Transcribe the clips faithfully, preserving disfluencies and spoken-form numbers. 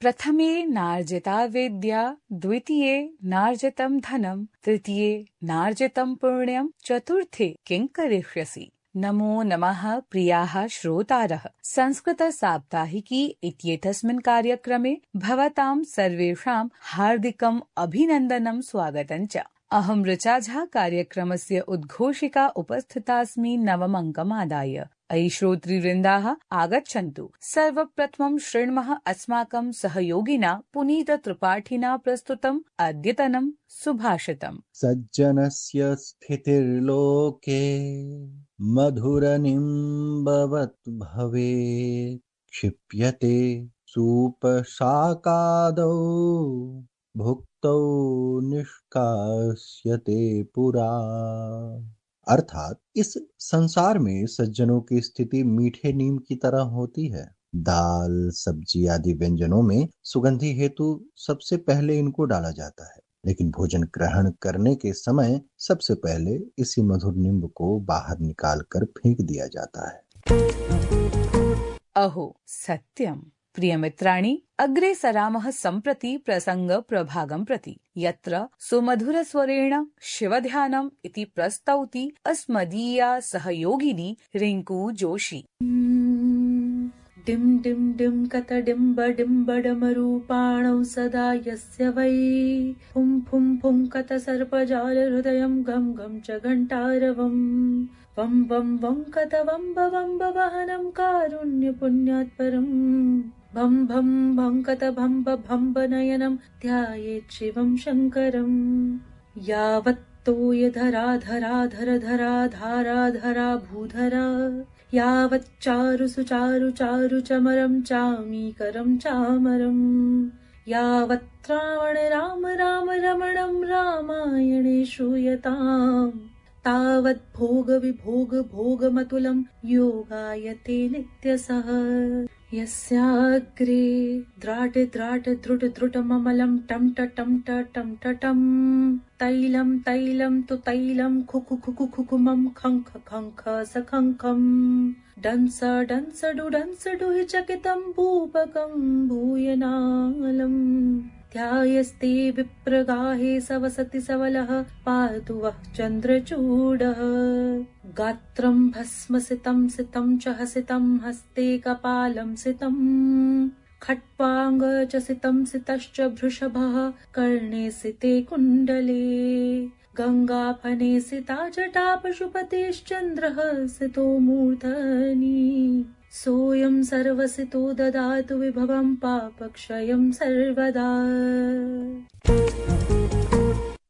प्रथमे नार्जिता विद्या, द्वितीये नार्जितं धनं, तृतीये नार्जितं पुण्यं, चतुर्थे किं करिष्यसि। नमो नमः प्रियाः श्रोतारः, संस्कृत साप्ताहिकी इत्येतस्मिन् कार्यक्रमे भवतां सर्वेषां हार्दिकम् अभिनन्दनं स्वागतं च। अहं ऋचा झा कार्यक्रमस्य उद्घोषिका उपस्थितास्मि नवमङ्कमादाय। अयि श्रोतृवृन्दाः आगच्छन्तु। सर्वप्रथमं शृण्मः अस्माकं सहयोगिना पुनीत त्रिपाठिना प्रस्तुतम् अद्यतनं सुभाषितम्। सज्जनस्य स्थितिर्लोके मधुरनिम्बवत् भवेत्, क्षिप्यते सूपशाकादौ भुक्तौ निष्कास्यते पुरा। अर्थात इस संसार में सज्जनों की स्थिति मीठे नीम की तरह होती है। दाल, सब्जी आदि व्यंजनों में सुगंधि हेतु सबसे पहले इनको डाला जाता है, लेकिन भोजन ग्रहण करने के समय सबसे पहले इसी मधुर निम्ब को बाहर निकालकर फेंक दिया जाता है। अहो सत्यम। प्रियमित्राणि, अग्रे सरामः सम्प्रति प्रसंग प्रभागं प्रति, यत्र सुमधुरस्वरेण शिवध्यानम् इति प्रस्तौति अस्मदीया सहयोगिनी रिंकू जोशी। डिम डिम डिम कत डिम्ब डिम्ब डमरूपाणौ सदा यस्य वै, फुं फुं फुं कत सर्पजाल हृदयं गम गम च घंटारवम्, वं वं वं कत वम्ब वम्ब वहनं कारुण्य पुण्यात् परम्, भं भं भं कत भम्ब भम्ब नयनं ध्यायेत् शिवं शङ्करम्, यावत्तोय धरा धरा धर धरा धारा धरा भूधरा, यावत् चारु सुचारु चारु चमरं चामीकरं चामरम्, यावत् रावण राम राम रमणं रामायणे श्रूयताम्, तावत् भोग विभोग भोगमतुलं योगायते नित्यसः। यस्याग्रे द्राट द्राट द्रुट द्रुटममलं टं टं टं टं, तैलं तैलं तु तैलं खुखु खुखु खुकुमं खङ्ख खङ्ख सखङ्खं, डंस डंस डु डंस डुहि चकितं भूपकं भूयनालम्, ध्यायस्ते विप्रगाहे सवसति सवलः पातु वः चन्द्रचूडः, गात्रं भस्मसितं सितं च हसितं हस्ते कपालं सितं, खट्वाङ्ग च सितं सितश्च वृषभः कर्णे सिते कुण्डले, गङ्गाफने सिता जटा पशुपतिश्चन्द्रः सितो मूर्धनि, सोऽयं सर्वसितो ददातु विभवं पापक्षयं सर्वदा।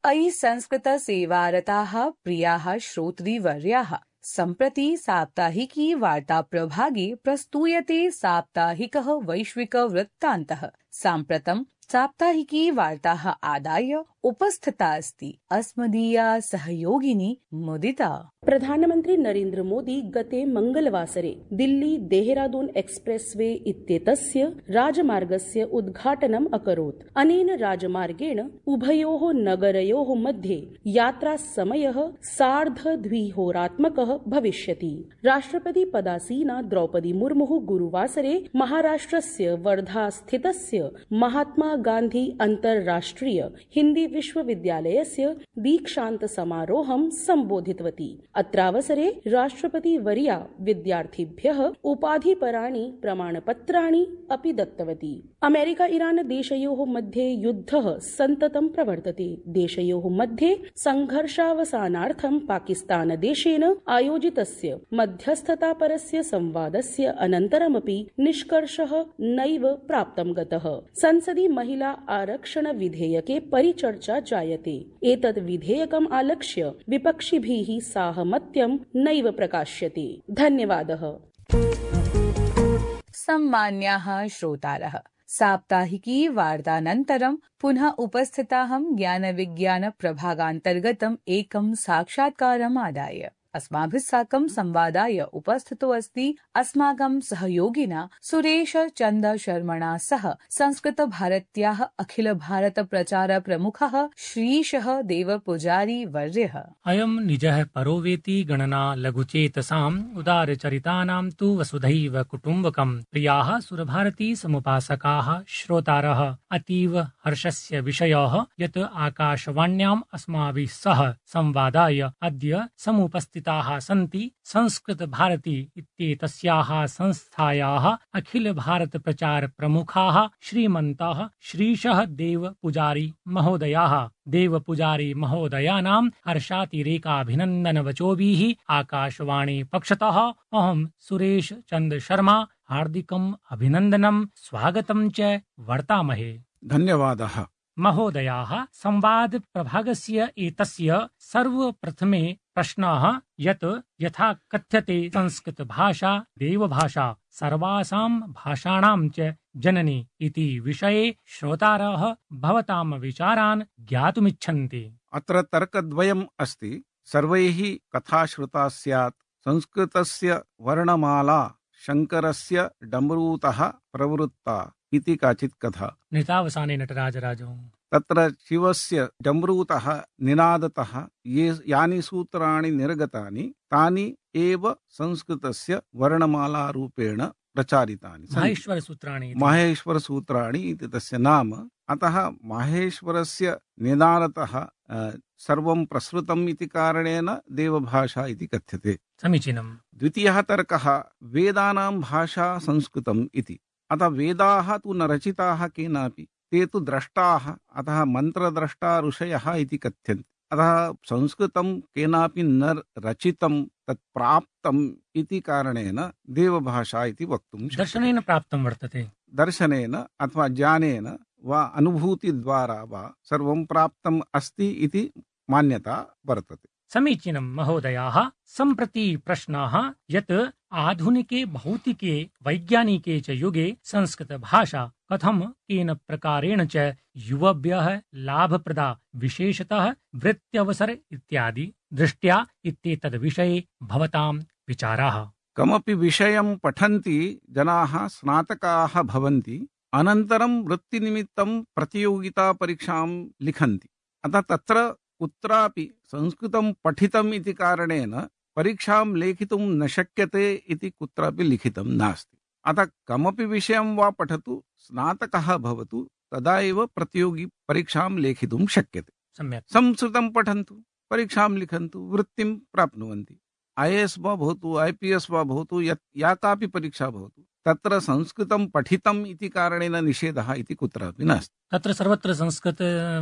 अयि संस्कृत सेवारताः प्रियाः श्रोतृवर्याः, सम्प्रति साप्ताहिकी वार्ता प्रभागे प्रस्तूयते साप्ताहिकः वैश्विक वृत्तान्तः। साम्प्रतं साप्ताहिकी वार्ताः आदाय उपस्थिता अस्ति अस्मदीया सहयोगिनी मुदिता। प्रधानमन्त्री नरेन्द्र मोदी गते मंगलवासरे दिल्ली देहरादून एक्सप्रेसवे इत्येतस्य राजमार्गस्य उद्घाटनम् अकरोत्। अनेन राजमार्गेण उभयोः नगरयोः मध्ये यात्रासमयः सार्धद्विहोरात्मकः भविष्यति। राष्ट्रपति पदासीना द्रौपदी मुर्मुः गुरुवासरे महाराष्ट्रस्य वर्धा स्थितस्य महात्मा गान्धी अन्ताराष्ट्रिय हिन्दी विश्वविद्यालयस्य दीक्षान्त समारोहं सम्बोधितवती। अत्रावसरे राष्ट्रपति वर्या विद्यार्थिभ्यः उपाधिपराणि प्रमाणपत्राणि अपि दत्तवती। अमेरिका ईरान देशयोः मध्ये युद्धः सन्ततं प्रवर्तते। देशयोः मध्ये संघर्षावसानार्थं पाकिस्तान देशेन आयोजितस्य मध्यस्थतापरस्य संवादस्य अनन्तरमपि निष्कर्षः नैव प्राप्तं गतः। संसदि महिला आरक्षण विधेयके परिचर्चा जायते। एतत् विधेयकम् आलक्ष्य विपक्षिभिः साहमत्यं नैव प्रकाश्यते। धन्यवादः। सम्मान्याः श्रोतारः, साप्ताहिकी वार्तानन्तरं पुनः उपस्थिताहं ज्ञान विज्ञान प्रभागान्तर्गतम् एकं साक्षात्कारम् आदाय। अस्माभिः साकं संवादाय उपस्थितो अस्ति अस्माकं सहयोगिना सुरेश चंद शर्मणा सह संस्कृत भारत्याः अखिल भारत प्रचार प्रमुखः श्रीशः देवपुजारी वर्यः। अयं निजः परो वेति गणना लघुचेतसाम् उदारचरितानां तु वसुधैव कुटुम्बकम्। प्रियाः सुरभारती समुपासकाः श्रोतारः, अतीव हर्षस्य विषयः यत् आकाशवाण्याम् अस्माभिः सह संवादाय अद्य समुपस्थिताः सन्ति संस्कृत भारती इत्येतस्याः संस्थायाः अखिल भारत प्रचार प्रमुखाः श्रीमन्तः श्रीशः देव पुजारी महोदयाः। देव पुजारी महोदयानां हर्षातिरेकाभिनन्दन वचोभिः आकाशवाणी पक्षतः अहं सुरेश चंद शर्मा हार्दिकम् अभिनन्दनं स्वागतं च वर्तामहे। धन्यवादः। महोदयाः, संवाद प्रभागस्य एतस्य सर्वप्रथमे प्रश्नः यत् यथा कथ्यते संस्कृत भाषा देवभाषा सर्वासां भाषाणां च जननी इति विषये श्रोतारः भवतां विचारान् ज्ञातुमिच्छन्ति। अत्र तर्कद्वयम् अस्ति। सर्वैः कथा श्रुता स्यात्। संस्कृतस्य वर्णमाला शङ्करस्य डमरूतः प्रवृत्ता इति काचित् कथा। नितावसाने नटराजराजौ तत्र शिवस्य डमरूतः निनादतः ये यानि सूत्राणि निर्गतानि तानि एव संस्कृतस्य वर्णमालारूपेण प्रचारितानि। माहेश्वर सूत्राणि माहेश्वर सूत्राणि इति तस्य नाम। अतः माहेश्वरस्य निनादतः सर्वं प्रसृतम् इति कारणेन देवभाषा इति कथ्यते। समीचीनम्। द्वितीयः तर्कः वेदानां भाषा संस्कृतम् इति। अतः वेदाः तु न रचिताः केनापि, ते तु द्रष्टाः, अतः मन्त्रद्रष्टा ऋषयः इति कथ्यन्ते। अतः संस्कृतं केनापि न रचितं तत् प्राप्तम् इति कारणेन देवभाषा इति वक्तुं शक्यते। दर्शनेन प्राप्तं वर्तते। दर्शनेन अथवा ज्ञानेन वा अनुभूतिद्वारा वा सर्वं प्राप्तम् अस्ति इति मान्यता वर्तते। समीचीनं महोदयाः। सम्प्रति प्रश्नः यत् आधुनिके भौतिके वैज्ञानिके च युगे संस्कृत भाषा कथं केन प्रकारेण च युवभ्यः लाभप्रदा विशेषतः वृत्त्यवसर इत्यादि दृष्ट्या इत्येतद् विषये भवतां विचाराः। कमपि विषयं पठन्ति जनाः स्नातकाः भवन्ति, अनन्तरं वृत्तिनिमित्तं प्रतियोगिता परीक्षां लिखन्ति। अतः तत्र कुत्रापि संस्कृतं पठितम् इति कारणेन परीक्षां लेखितुं न शक्यते इति कुत्रापि लिखितं नास्ति। अतः कमपि विषयं वा पठतु, स्नातकः भवतु, तदा एव प्रतियोगी परीक्षां लेखितुं शक्यते। सम्यक्। संस्कृतं पठन्तु, परीक्षां लिखन्तु, वृत्तिं प्राप्नुवन्ति। ऐ ए एस् वा भवतु, ऐ पी एस् वा भवतु, यत् या कापि परीक्षा भवतु, तत्र संस्कृतं पठितम् इति कारणेन निषेधः इति कुत्रापि नास्ति। तत्र सर्वत्र संस्कृत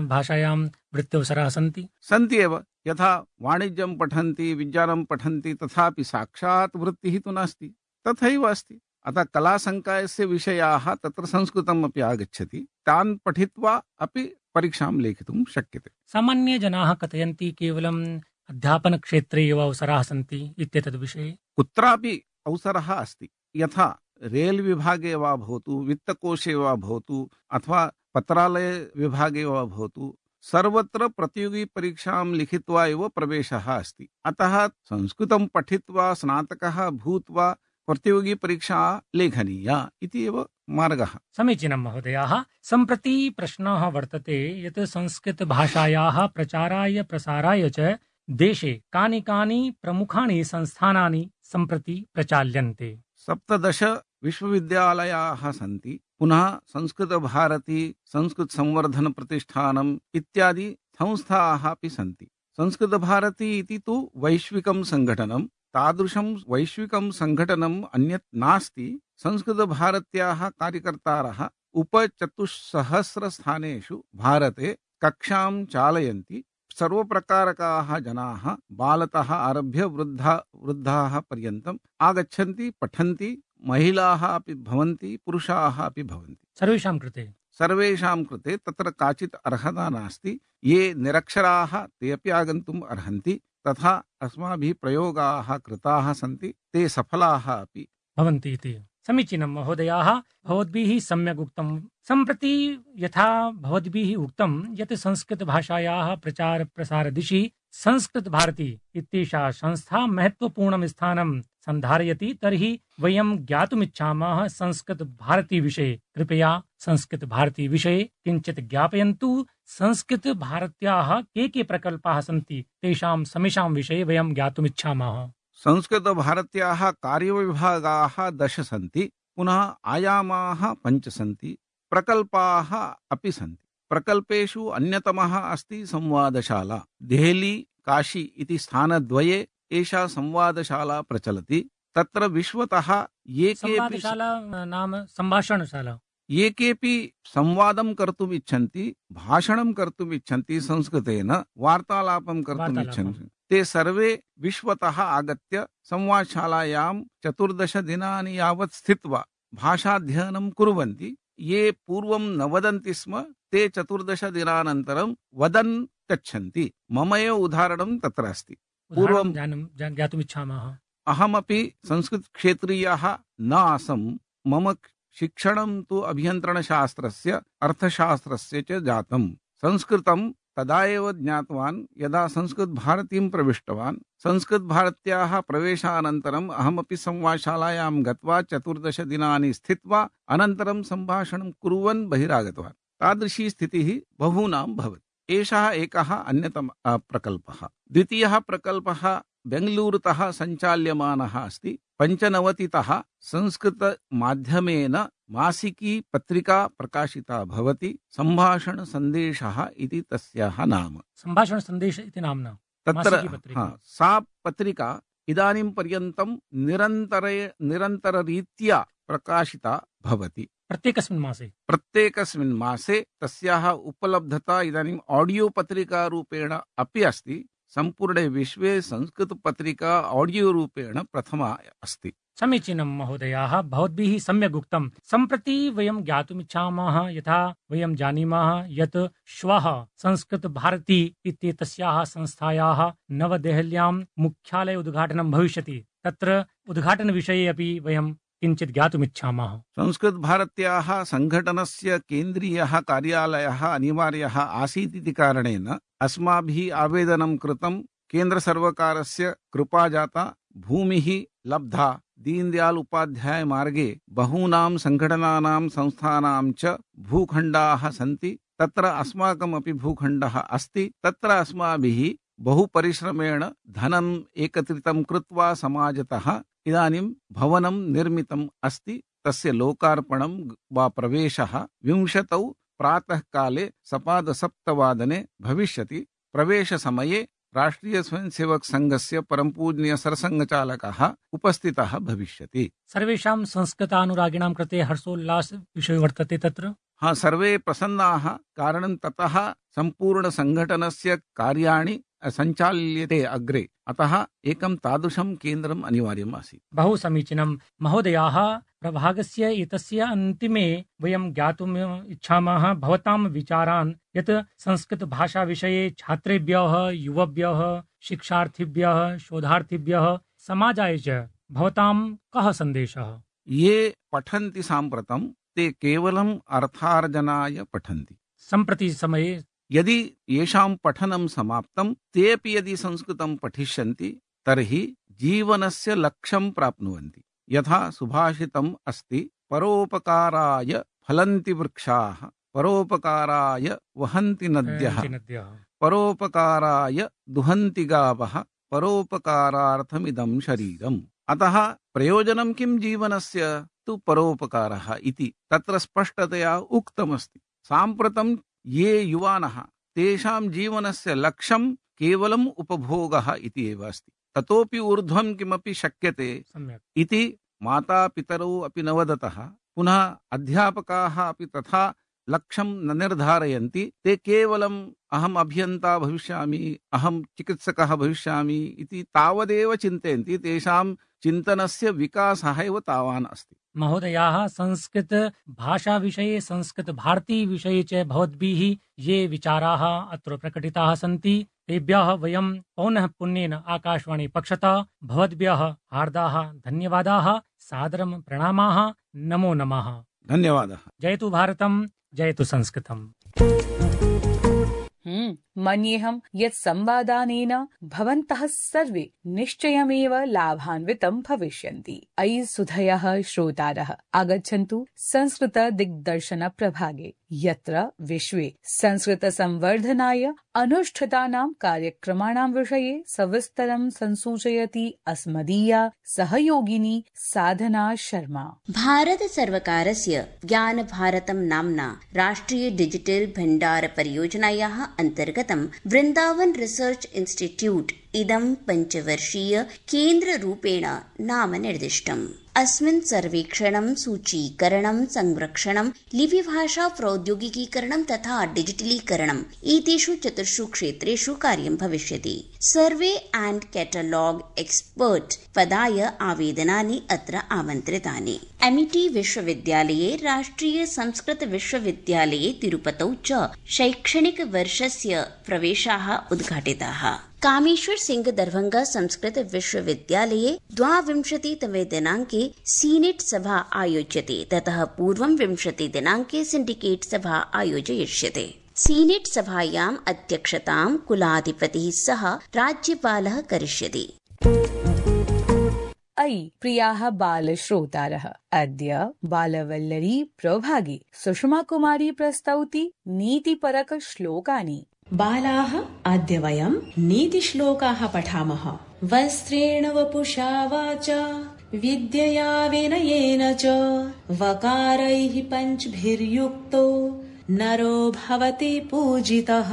भाषायां वृत्त्यवसराः सन्ति सन्ति एव। यथा वाणिज्यं पठन्ति, विज्ञानं पठन्ति, तथापि साक्षात् वृत्तिः तु नास्ति, तथैव अस्ति। अतः कलासङ्कायस्य विषयाः तत्र संस्कृतम् अपि आगच्छति, तान् पठित्वा अपि परीक्षां लेखितुं शक्यते। सामान्यजनाः कथयन्ति केवलम् अध्यापनक्षेत्रे एव अवसराः सन्ति इत्येतद् विषये। कुत्रापि अवसरः अस्ति। यथा रेल विभागे वा भवतु, वित्तकोशे वा भवतु, अथवा पत्रालय विभागे वा भवतु, सर्वत्र प्रतियोगी परीक्षां लिखित्वा एव प्रवेशः अस्ति। अतः संस्कृतं पठित्वा स्नातकः भूत्वा प्रतियोगी परीक्षा लेखनीया इति एव मार्गः। समीचीनं महोदयाः। सम्प्रति प्रश्नः वर्तते यत् संस्कृतभाषायाः प्रचाराय प्रसाराय च देशे कानि कानि प्रमुखानि संस्थानानि सम्प्रति प्रचाल्यन्ते। सप्तदश विश्वविद्यालयाः सन्ति। पुनः संस्कृतभारती, संस्कृतसंवर्धन प्रतिष्ठानम् इत्यादि संस्थाः अपि सन्ति। संस्कृतभारती इति तु वैश्विकं सङ्घटनं। तादृशं वैश्विकं सङ्घटनम् अन्यत् नास्ति। संस्कृतभारत्याः कार्यकर्तारः उपचतुस्सहस्रस्थानेषु भारते कक्षां चालयन्ति। सर्वप्रकारकाः जनाः बालतः आरभ्य वृद्धा वृद्धाः पर्यन्तम् आगच्छन्ति, पठन्ति। महिलाः अपि भवन्ति, पुरुषाः अपि भवन्ति। सर्वेषां कृते सर्वेषां कृते तत्र काचित् अर्हता नास्ति। ये निरक्षराः ते अपि आगन्तुम् अर्हन्ति। तथा अस्माभिः प्रयोगाः कृताः सन्ति, ते सफलाः अपि भवन्ति इति। समीचीनं महोदयाः, भवद्भिः सम्यक् उक्तं। सम्प्रति यथा भवद्भिः उक्तं यत् संस्कृतभाषायाः प्रचार प्रसार दिशि संस्कृत भारती इत्येषा संस्था महत्वपूर्णं स्थानं सन्धारयति तर्हि वयं ज्ञातुमिच्छामः संस्कृत भारती विषये। कृपया संस्कृत भारती विषये किञ्चित् ज्ञापयन्तु। संस्कृत भारत्याः के के प्रकल्पाः सन्ति तेषां समेषां विषये वयं ज्ञातुमिच्छामः। संस्कृत भारत्याः कार्यविभागाः दश सन्ति, पुनः आयामाः पञ्च सन्ति, प्रकल्पाः अपि सन्ति। प्रकल्पेषु अन्यतमः अस्ति संवादशाला। देहली काशी इति स्थानद्वये एषा संवादशाला प्रचलति। तत्र विश्वतः ये संवादशाला नाम सम्भाषणशाला। ये केऽपि संवादं कर्तुम् इच्छन्ति, भाषणं कर्तुम् इच्छन्ति, संस्कृतेन वार्तालापं कर्तुम् इच्छन्ति, ते सर्वे विश्वतः आगत्य संवादशालायां चतुर्दश दिनानि यावत् स्थित्वा भाषाध्ययनं कुर्वन्ति। ये पूर्वं न वदन्ति स्म ते चतुर्दश दिनानन्तरं वदन् गच्छन्ति। मम एव उदाहरणं तत्र अस्ति। पूर्वं ज्ञातुमिच्छामः। अहमपि संस्कृतक्षेत्रीयः न आसम्। मम शिक्षणं तु अभियन्त्रणशास्त्रस्य अर्थशास्त्रस्य च जातम्। संस्कृतं तदा एव ज्ञातवान् यदा संस्कृतभारतीं प्रविष्टवान्। संस्कृतभारत्याः प्रवेशानन्तरम् अहमपि संवादशालायां गत्वा चतुर्दश दिनानि स्थित्वा अनन्तरं सम्भाषणं कुर्वन् बहिरागतवान्। तादृशी स्थितिः बहूनां भवति। एषः एकः अन्यतमः प्रकल्पः। द्वितीयः प्रकल्पः बेङ्गलूरुतः सञ्चाल्यमानः अस्ति। पञ्चनवतितः संस्कृतमाध्यमेन मासिकी पत्रिका प्रकाशिता भवति। सम्भाषणसन्देशः इति तस्याः नाम। सम्भाषणसन्देश इति नाम्ना तत्र सा पत्रिका इदानीं पर्यन्तं निरन्तर निरन्तररीत्या प्रकाशिता भवति। प्रत्येकस्मिन् मासे प्रत्येकस्मिन् मासे तस्याः उपलब्धता इदानीम् ऑडियो पत्रिका रूपेण अपि अस्ति। सम्पूर्णे विश्वे संस्कृतपत्रिका ऑडियो रूपेण प्रथमा अस्ति। समीचीनं महोदयाः, भवद्भिः सम्यक् उक्तं। सम्प्रति वयं ज्ञातुमिच्छामः, यथा वयं जानीमः यत् श्वः संस्कृत भारती इत्येतस्याः संस्थायाः नवदेहल्यां मुख्यालय उद्घाटनं भविष्यति। तत्र उद्घाटनविषये अपि वयं किञ्चित् ज्ञातुमिच्छामः। संस्कृत भारत्याः सङ्घटनस्य केन्द्रीयः कार्यालयः अनिवार्यः आसीत् इति कारणेन अस्माभिः आवेदनं कृतं। केन्द्रसर्वकारस्य कृपा जाता, भूमिः लब्धा। दीनदयाल उपाध्याय मार्गे बहूनां सङ्घटनानां संस्थानां च भूखण्डाः सन्ति। तत्र अस्माकमपि भूखण्डः अस्ति। तत्र अस्माभिः बहु परिश्रमेण धनम् एकत्रितं कृत्वा समाजतः इदानीं भवनं निर्मितम् अस्ति। तस्य लोकार्पणं वा प्रवेशः विंशतौ प्रातःकाले सपादसप्तवादने भविष्यति। प्रवेशसमये राष्ट्रीय स्वयंसेवक संघस्य परमपूज्य सरसंघचालकः उपस्थितः भविष्यति। सर्वेषां संस्कृतानुरागिणां कृते हर्षोल्लास विषयो वर्तते तत्र। हाँ, सर्वे प्रसन्नाः। कारणं ततः सम्पूर्ण संघटनस्य कार्याणि सञ्चाल्यते अग्रे। अतः एकं तादृशं केन्द्रम् अनिवार्यम् आसीत्। बहु समीचीनं महोदयाः। प्रभागस्य एतस्य अन्तिमे वयं ज्ञातुम् इच्छामः भवतां विचारान् यत् संस्कृत भाषा विषये छात्रेभ्यः, युवभ्यः, शिक्षार्थिभ्यः, शोधार्थिभ्यः, समाजाय च भवतां कः सन्देशः? ये पठन्ति साम्प्रतं ते केवलम् अर्थार्जनाय पठन्ति। सम्प्रति समये यदि येषां पठनं समाप्तं तेऽपि यदि संस्कृतं पठिष्यन्ति तर्हि जीवनस्य लक्ष्यं प्राप्नुवन्ति। यथा सुभाषितम् अस्ति, परोपकाराय फलन्ति वृक्षाः, परोपकाराय वहन्ति नद्यः, परोपकाराय दुहन्ति गावः, परोपकारार्थमिदं शरीरम्। अतः प्रयोजनं किं जीवनस्य तु परोपकारः इति तत्र स्पष्टतया उक्तमस्ति। साम्प्रतं ये युवानः तेषां जीवनस्य लक्ष्यं केवलम् उपभोगः इति एव अस्ति। ततोपि ऊर्ध्वं किमपि शक्यते इति मातापितरौ अपि न वदतः। पुनः अध्यापकाः अपि तथा लक्ष्यं न निर्धारयन्ति। ते केवलम् अहम् अभियन्ता भविष्यामि, अहं चिकित्सकः भविष्यामि इति तावदेव चिन्तयन्ति। तेषां चिन्तनस्य विकासः एव तावान् अस्ति। महोदयाः, संस्कृत भाषा विषये, संस्कृत भारती विषये च भवद्भिः ये विचाराः अत्र प्रकटिताः सन्ति तेभ्यः वयं पौनः पुन्येन आकाशवाणी पक्षतः भवद्भ्यः हार्दाः धन्यवादाः, सादरं प्रणामाः, नमो नमः। धन्यवादः। जयतु भारतम्, जयतु संस्कृतम्। हम्म हम्म मन्येऽहं यत् संवादानेन भवन्तः सर्वे निश्चयमेव लाभान्वितं भविष्यन्ति। अयि सुधयः श्रोतारः, आगच्छन्तु संस्कृत दिग्दर्शन प्रभागे, यत्र विश्वे संस्कृत संवर्धनाय अनुष्ठितानां कार्यक्रमाणां विषये सविस्तरं संसूचयति अस्मदीया सहयोगिनी साधना शर्मा। भारत सर्वकारस्य ज्ञान भारतं नाम्ना राष्ट्रिय डिजिटल भण्डार परियोजनायाः अन्तर्गतं वृन्दावन रिसर्च इन्स्टिट्यूट् इदं पञ्चवर्षीय केन्द्ररूपेण नाम निर्दिष्टम्। अस्मिन् सर्वेक्षणं, सूचीकरणं, संरक्षणं, लिपिभाषा प्रौद्योगिकीकरणं तथा डिजिटलीकरणम् एतेषु चतुर्षु क्षेत्रेषु कार्यं भविष्यति। सर्वे एण्ड कैटलॉग एक्सपर्ट पदाय आवेदनानि अत्र आमन्त्रितानि। एमिटी विश्वविद्यालये, राष्ट्रिय संस्कृत विश्वविद्यालये तिरुपतौ च शैक्षणिक वर्षस्य प्रवेशाः उद्घाटिताः। कामेश्वर सिंह दरभंगा संस्कृत विश्वविद्यालये द्वाविंशतितमे दिनाङ्के सीनेट सभा आयोज्यते। ततः पूर्वं विंशति दिनाङ्के सिंडिकेट सभा आयोजयिष्यते। सीनेट सभायाम् अध्यक्षतां कुलाधिपतिः सह राज्यपालः करिष्यति। अयि प्रियाः बालश्रोतारः, अद्य बालवल्लरी प्रभागे सुषमा कुमारी प्रस्तौति नीतिपरक श्लोकानि। बालाः, अद्य वयं नीतिश्लोकाः पठामः। वस्त्रेण वपुषा वाचा विद्यया विनयेन च वकारैः पञ्चभिर्युक्तो नरो भवति पूजितः।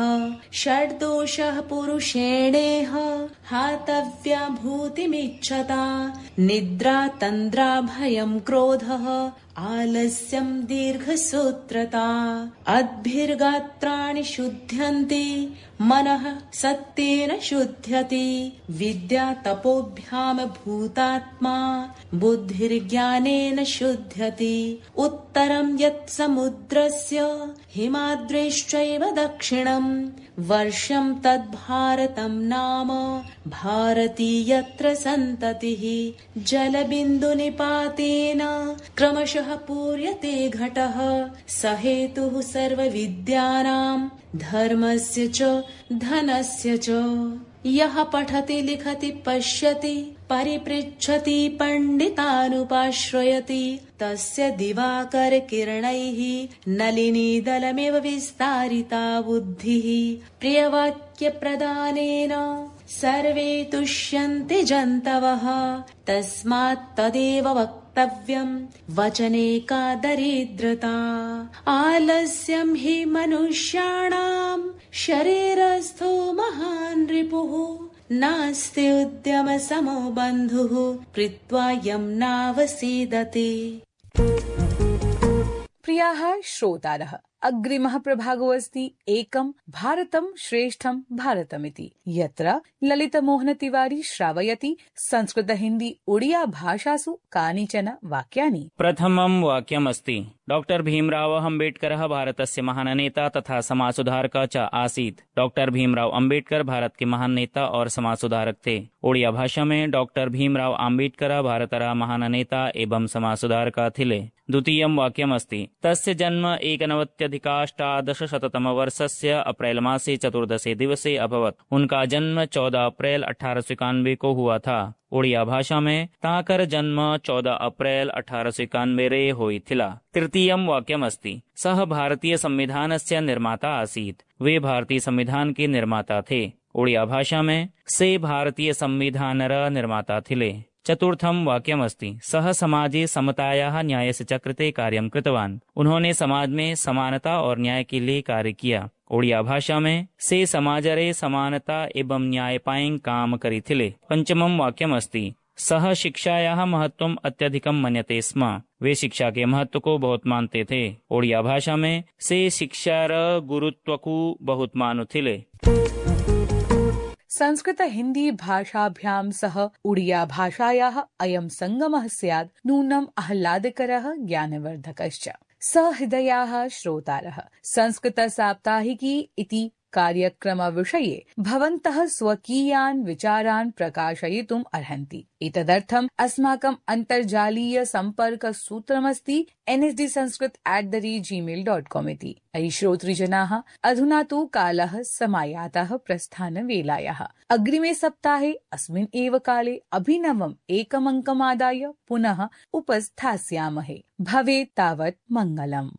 षड्दोषः पुरुषेणेह हातव्या भूतिमिच्छता। निद्रा तन्द्रा भयं क्रोधः आलस्यं दीर्घसूत्रता। अद्भिर्गात्राणि शुध्यन्ति मनः सत्येन शुध्यति। विद्या तपोभ्याम भूतात्मा बुद्धिर्ज्ञानेन शुध्यति। उत्तरं यत् समुद्रस्य हिमाद्रिश्चैव दक्षिणं वर्षं तद्भारतं नाम भारती यत्र सन्ततिः। जलबिन्दुनिपातेन क्रमशः पूर्यते घटः। स हेतुः सर्वविद्यानां धर्मस्य च धनस्य च। यः पठति लिखति पश्यति परिपृच्छति पंडितानुपाश्रयति तस्य दिवाकर किरणैः नलिनी दलमिव विस्तारिता बुद्धिः। प्रियवाक्य प्रदानेन सर्वे तुष्यन्ति जन्तवः। तस्मात् तदेव वक्तव्यं वचने का दरिद्रता। आलस्यं हि मनुष्याणां शरीरस्थो महान् रिपुः। नास्ति उद्यम समो बन्धुः कृत्वा यं नावसीदति। प्रियाः श्रोतारः, अग्रिमः प्रभागो अस्ति एकं भारतं श्रेष्ठं भारतमिति, यत्र ललितमोहन तिवारी श्रावयति संस्कृत हिंदी ओडिया भाषासु कानिचन वाक्यानि। प्रथमं वाक्यम् अस्ति, डॉक्टर भीमराव अम्बेडकरः भारतस्य महान नेता तथा समाज सुधारक च आसीत्। डॉक्टर भीमराव अम्बेडकर भारत के महान नेता और समाज सुधारक थे। ओडिया भाषा में डॉक्टर भीमराव अम्बेडकर भारतर महान नेता एवं समाज सुधारक थिले। द्वितीयं वाक्यम् अस्ति, तस्य जन्म एकनवत्यधिकाष्टादशशततम वर्षस्य अप्रैल मासे चतुर्दशे दिवसे अभवत्। उनका जन्म चौदह अप्रैल अठारह सौ इक्यानवे को हुआ था। ओडिया भाषा में ताकर जन्म चौदह अप्रैल अठारह सौ इक्यानवे रे होइथिला। तृतीयं वाक्यम् अस्ति, सः भारतीय संविधानस्य निर्माता आसीत्। वे भारतीय संविधान के निर्माता थे। ओडिया भाषा में से भारतीय संविधानर निर्माता थिले। चतुर्थं वाक्यम् अस्ति, सः समाजे समतायाः न्यायस्य च कृते कार्यं कृतवान्। उन्होंने समाज में समानता और न्याय के लिए कार्य किया। ओडिया भाषा में से समाजरे समानता एवं न्याय पायं काम करिथिले। पंचमं वाक्यम् अस्ति, सः शिक्षायाः महत्वम् अत्यधिकं मन्यते स्म। वे शिक्षा के महत्व को बहुत मानते थे। ओडिया भाषा में से शिक्षार गुरुत्व को बहुत मानुथिले। संस्कृत हिंदी भाषाभ्यां सह उड़िया भाषायाः अयं संगमः स्यात् नूनम् आह्लादकरः ज्ञानवर्धकश्च। सहृदयाः श्रोतारः, संस्कृत साप्ताहिकी इति कार्यक्रमविषये भवन्तः स्वकीयान् विचारान् प्रकाशयितुम् अर्हन्ति। एतदर्थम् अस्माकम् अन्तर्जालीय सम्पर्कसूत्रमस्ति N S D Sanskrit at the rate Gmail dot com इति। अयि श्रोतृजनाः, अधुना तु कालः समायातः प्रस्थानवेलायाः। अग्रिमे सप्ताहे अस्मिन् एव काले अभिनवम् एकमङ्कमादाय पुनः उपस्थास्यामहे। भवेत् तावत् मङ्गलम्।